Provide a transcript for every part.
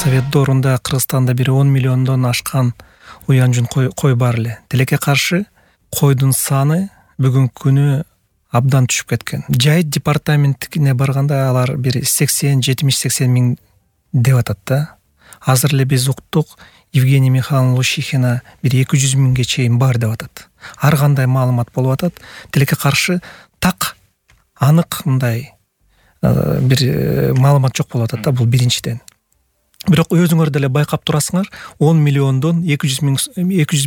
Совет доорунда Кыргызстанда бир 10 миллиондон ашкан уян жүн кой бар эле. Тилекке каршы койдун саны бүгүнкү күнү абдан түшүп кеткен. Жайыт департаментине барганда алар бир 70-80 миң деп атат да. Азыр эле биз уктук, Евгения Михайловна Лущихина бир 200 миңге чейин бар деп атат. Ар кандай маалымат болуп атат. Тилекке каршы так анык мындай бир маалымат жок болуп атат да, бул биринчиден. Бирок өзүңөр деле байкап турасыңар, 10 миллиондон 200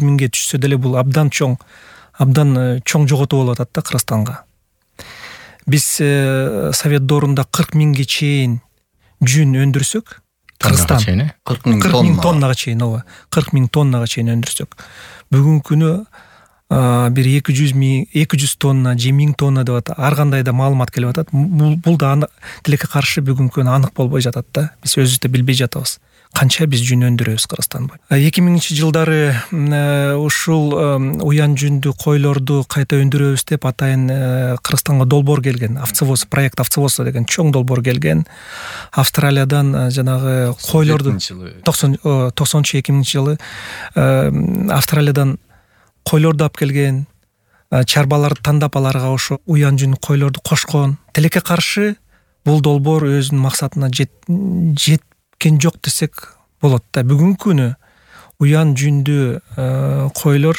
миңге түшсө деле бул абдан чоң жоготуу болуп атат да Кыргызстанга. Биз Совет доорунда 40 миңге чейин жүн өндүрсөк, Кыргызстан 40 миң тоннага чейин, 40 миң тоннага чейин өндүрсөк, бүгүнкү күнү бир 200 тонна, 1000 тонна деп атат. Ар кандай да маалымат келип атат. Бул да тилекке каршы бүгүнкү күнү анык болбой жатат да. Биз өзүбүз да билбей жатабыз. Канча биз жүн өндүрөбүз Кыргызстан боюнча. 2000-жылдары ушул уян жүндү койлорду кайта өндүрөбүз деп атайын Кыргызстанга долбоор келген. Овцевоз, проект Овцевоз деген чоң долбоор келген. Австралиядан жанагы койлорду 90-2000-жылы Австралиядан койлорду алып келген, чарбаларды тандап аларга ошо уян жүн койлорду кошкон. Тилекке каршы бул долбоор өзүнүн максатына жеткен жок десек болот да. Бүгүнкү күнү уян жүндүү койлор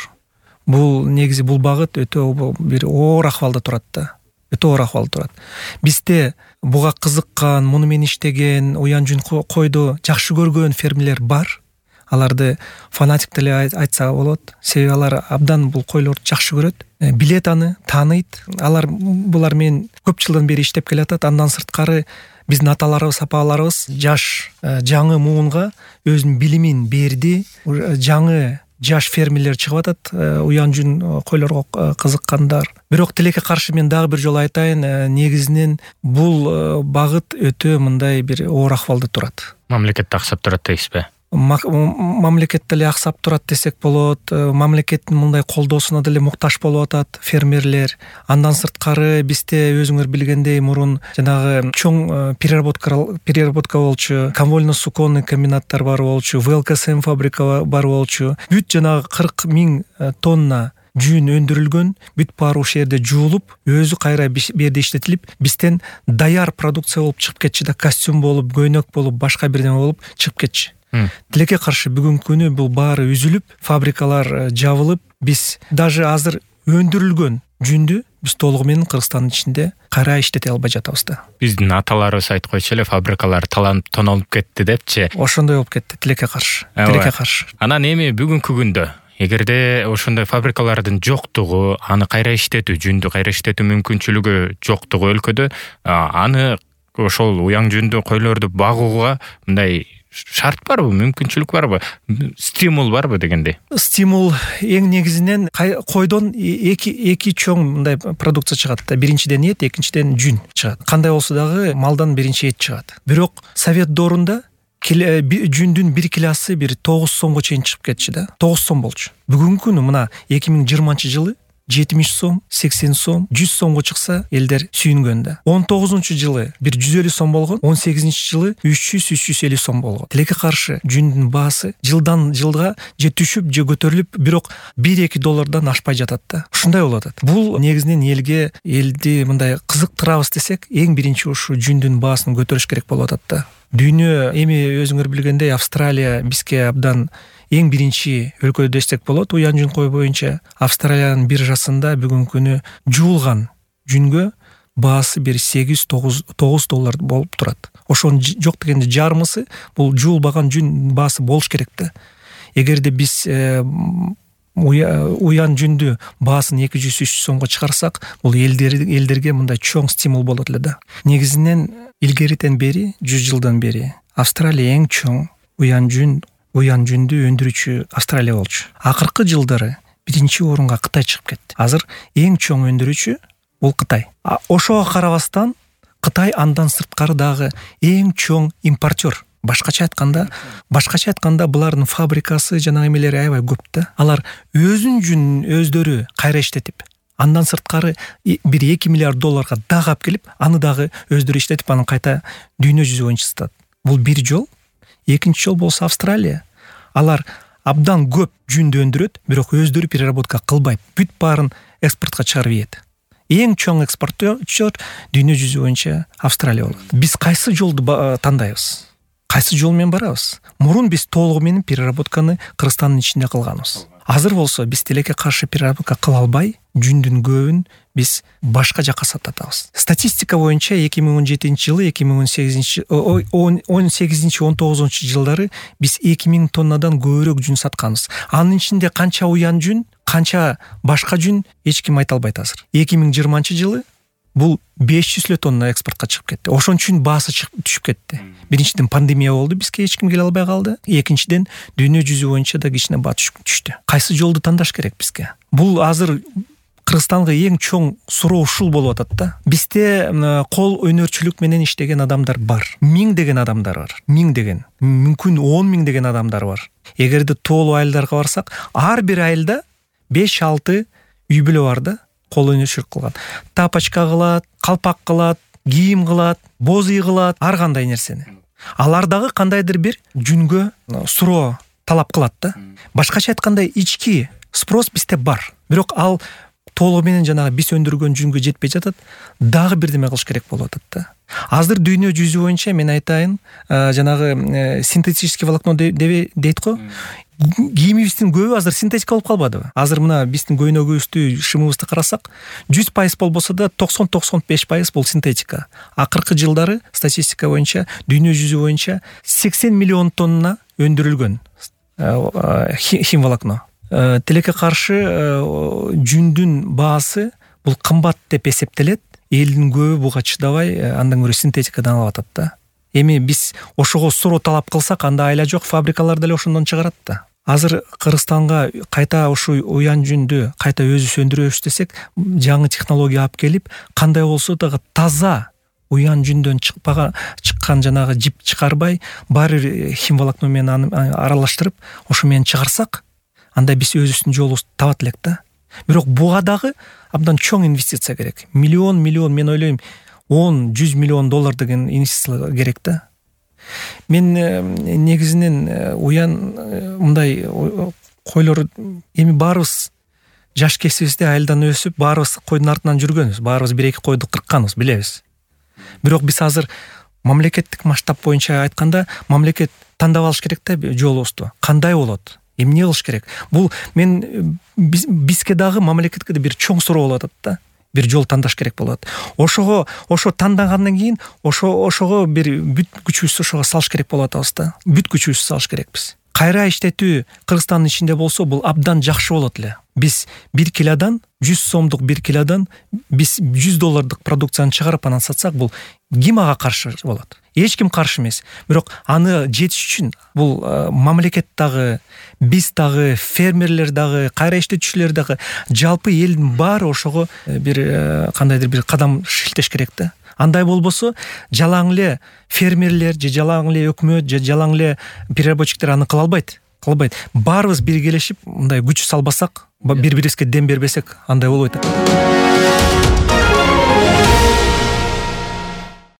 бул негизи бул багыт өтө бир оор акыбалда турат да. Өтө оор акыбалда турат. Бизде буга кызыккан, муну менен иштеген, уян жүн койду жакшы көргөн фермерлер бар. Аларды фанатик деле айтса болот. Себеби алар абдан бул койлорду жакшы көрөт, билет аны, тааныйт. Булар менен көп жылдан бери иштеп келатат. Андан сырткары биздин аталарыбыз, апаларыбыз жаңы муунга өзүнүн билимин берди. Жаңы жаш фермерлер чыгып атат, уян жүн койлорго кызыккандар. Бирок тилекке каршы мен дагы бир жолу айтайын, негизинен бул багыт өтө мындай бир оор акыбалда турат. Мамлекет аксап турат дейсизби? Мамлекет деле аксап турат десек болот. Мамлекеттин мындай колдоосуна деле муктаж болуп атат фермерлер. Андан сырткары бизде өзүңөр билгендей мурун жанагы чоң переработка болчу, конвольно-суконный комбинаттар бар болчу, ВЛКСМ фабрика бар болчу. Бүт жанагы 40 миң тонна жүн өндүрүлгөн, бүт баары ошол жерде жуулуп, өзү кайра берде иштетилип, бизден даяр продукция болуп чыгып кетчи да, костюм болуп, көйнөк болуп, башка бирдеме болуп чыгып кетчи. Тилекке каршы бүгүнкү күнү бул баары үзүлүп, фабрикалар жабылып, биз даже азыр өндүрүлгөн жүндү биз толугу менен Кыргызстандын ичинде кайра иштете албай жатабыз да. Биздин аталарыбыз айткойчу эле, фабрикалар таланып тонолуп кетти депчи. Ошондой болуп кетти тилекке каршы. Анан эми бүгүнкү күндө эгерде ошондой фабрикалардын жоктугу, аны кайра иштетүү, жүндү кайра иштетүү мүмкүнчүлүгү жоктугу өлкөдө, аны ошол уян жүндүү койлорду багууга мындай шарт барбы, мүмкүнчүлүк барбы, стимул барбы дегендей? Стимул эң негизинен койдон эки чоң мындай продукция чыгат да. Биринчиден эт, экинчиден жүн чыгат. Кандай болсо дагы малдан биринчи эт чыгат. Бирок Совет доорунда жүндүн бир килосы бир 9 сомго чейин чыгып кетчи да. 9 сом болчу. Бүгүнкү күнү мына 2020-жылы 70 сом, 80 сом, 100 сомго чыкса элдер сүйүнгөн да. 19-жылы бир 150 сом болгон, 18-жылы 300-350 сом болгон. Тилекке каршы жүндүн баасы жылдан жылга же түшүп, же көтөрүлүп, бирок 1-2 доллардан ашпай жатат да. Ушундай болуп атат. Бул негизинен элди мындай кызыктырабыз десек, эң биринчи ушу жүндүн баасын көтөрүш керек болуп атат да. Дүйнө эми өзүңөр билгендей Австралия бизге абдан эң биринчи өлкө десек болот. Уян жүн кой боюнча Австралиянын биржасында бүгүнкү күнү жуулган жүнгө баасы бир 8-9 доллар болуп турат. Ошонун жок дегенде жарымысы бул жуулбаган жүн баасы болуш керек да. Эгерде биз уян жүндү баасын 200-300 сомго чыгарсак, бул элдерге мындай чоң стимул болот эле да. Негизинен илгериден бери, 100 жылдан бери Австралия эң чоң уян жүндү өндүрүүчү Австралия болчу. Акыркы жылдары биринчи орунга Кытай чыгып кетти. Азыр эң чоң өндүрүүчү бул Кытай. Ошого карабастан Кытай андан сырткары дагы эң чоң импортер. Башкача айтканда булардын фабрикасы жана эмелери аябай көп да. Алар өзүнүн жүнүн өздөрү кайра иштетип, андан сырткары бир 2 миллиард долларга дагы алып келип, аны дагы өздөрү иштетип, аны кайта дүйнө жүзү боюнча сатат. Бул бир жол. Экинчи жол болсо Австралия. Алар абдан көп жүндү өндүрөт, бирок өздөрү переработка кылбайт. Бүт баарын экспортко чыгарып ийет. Эң чоң экспортер дүйнө жүзү боюнча Австралия болот. Биз кайсы жолду тандайбыз? Кайсы жол менен барабыз? Мурун биз толугу менен переработканы Кыргызстандын ичинде кылганбыз. Азыр болсо биз тилекке каршы переработка кыла албай, жүндүн көбүн биз башка жакка сататабыз. Статистика боюнча 2017-жылы, 2018-19 жылдары биз 2000 тоннадан көбүрөөк жүн сатканбыз. Анын ичинде канча уян жүн, канча башка жүн эч ким айта албайт азыр. 2020-жылы бул 500 тонна экспортко чыгып кетти. Ошон үчүн баасы түшүп кетти. Биринчиден пандемия болду, бизге эч ким келе албай калды. Экинчиден дүйнө жүзү боюнча да кичине баа түштү. Кайсы жолду тандаш керек бизге? Бул азыр Кыргызстанга эң чоң суроо ушул болуп атат да. Бизде кол өнөрчүлүк менен иштеген адамдар бар. 1000 деген адамдар бар. 1000 деген. Мүмкүн 10 000 деген адамдар бар. Эгерде тоолуу айылдарга барсак, ар бир айылда 5-6 үй бүлө бар да. Кол өнөрчүлүк кылган. Тапочка кылат, калпак кылат, кийим кылат, боз үй кылат, ар кандай нерсени. Алар дагы кандайдыр бир жүнгө суроо талап кылат да. Башкача айтканда ички спрос бизде бар. Бирок ал толугу менен жанагы биз өндүргөн жүнгө жетпей жатат, дагы бирдеме кылыш керек болуп атат да. Азыр дүйнө жүзү боюнча мен айтайын, жанагы синтетический волокно дейт го. Кийимибиздин көбү азыр синтетика болуп калбадыбы? Азыр мына биздин көйнөгүбүздү, шымыбызды карасак, 100% болбосо да 90-95% бул синтетика. Акыркы жылдары статистика боюнча дүйнө жүзү боюнча 80 миллион тонна өндүрүлгөн химволокно. Тилекке каршы жүндүн баасы бул кымбат деп эсептелет. Элдин көбү буга чыдабай, андан көрө синтетикадан алып атат да. Эми биз ошого суроо талап кылсак, анда айла жок, фабрикалар деле ошондон чыгарат да. Азыр Кыргызстанга кайта ушу уян жүндү кайта өзүбүз өндүрөбүз десек, жаңы технология алып келип, кандай болсо дагы таза уян жүндөн чыккан жанагы жип чыгарбай, баары бир химволокно менен аралаштырып, ошо менен чыгарсак, анда биз өзүбүздүн жолубузду табат элек да. Бирок буга дагы абдан чоң инвестиция керек. Миллион, мен ойлойм, 10-100 миллион доллар деген инвестиция керек да. Мен негизинен уян мындай койлор, эми баарыбыз жаш кесибизде айылдан өсүп, баарыбыз койдун артынан жүргөнбүз, баарыбыз 1-2 койду кыркканбыз, билебиз. Бирок биз азыр мамлекеттик масштаб боюнча айтканда, мамлекет тандап алыш керек да жолубузду. Кандай болот? Эмне кылыш керек? Бул мен бизге дагы мамлекетке да бир чоң суроо болуп атат да. Бир жол тандаш керек болот. Ошо тандагандан кийин ошого бир бүт күчүбүздү ошого салыш керек болот атабыз да. Бүт күчүбүздү салыш керекпиз. Кайра иштетүү Кыргызстандын ичинде болсо, бул абдан жакшы болот эле. Биз 1 килодан 100 сомдук 1 килодан биз $100 продукцияны чыгарып анан сатсак, бул ким ага каршы болот? Эч ким каршы эмес. Бирок аны жетиш үчүн бул мамлекет дагы, биз дагы, фермерлер дагы, кайра иштетүүчүлөр дагы, жалпы элдин баары ошого бир кандайдыр бир кадам шилтеш керек да. Андай болбосо, жалаң эле фермерлер же жалаң эле өкмөт же жалаң эле переработчиктер аны кыла албайт. Баарыбыз биргелешип, мындай күч салбасак, бири-бирибизге дем бербесек, андай болбойт.